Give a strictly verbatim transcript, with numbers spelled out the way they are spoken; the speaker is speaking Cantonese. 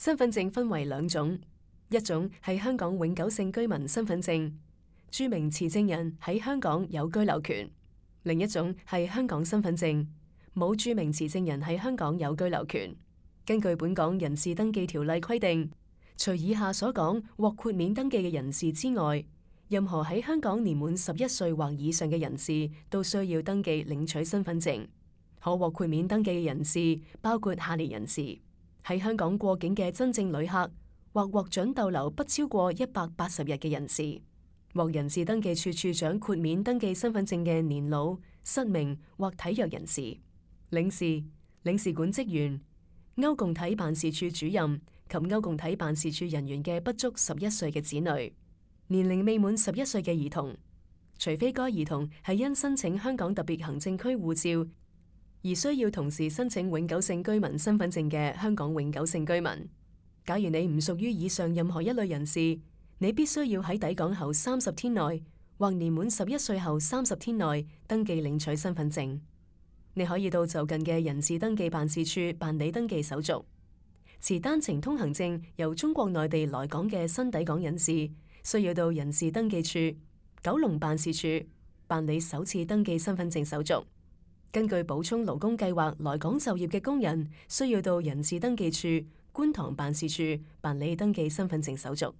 身份證分為兩種，一種係香港永久性居民身份證，註明持證人喺香港有居留權；另一種係香港身份證，冇註明持證人喺香港有居留權。根據本港人事登記條例規定，除以下所講獲豁免登記嘅人士之外，任何喺香港年滿十一歲或以上嘅人士都需要登記領取身份證。可獲豁免登記嘅人士包括下列人士：喺香港過境嘅真正旅客，或獲准逗留不超過一百八十日嘅人士，獲人事登記處處長豁免登記身份證嘅年老、失明或體弱人士，領事、領事館職員、歐共體辦事處主任及歐共體辦事處人員嘅不足十一歲嘅子女，年齡未滿十一歲嘅兒童，除非該兒童係因申請香港特別行政區護照而需要同時申請永久性居民身份證嘅香港永久性居民。假如你唔屬於以上任何一類人士，你必須要喺抵港後三十天內或年滿十一歲後三十天內登記領取身份證。你可以到就近嘅人事登記辦事處辦理登記手續。持單程通行證由中國內地來港嘅新抵港人士，需要到人事登記處九龍辦事處辦理首次登記身份證手續。根據補充勞工計劃來港就業嘅工人，需要到人事登記處觀塘辦事處辦理登記身份證手續。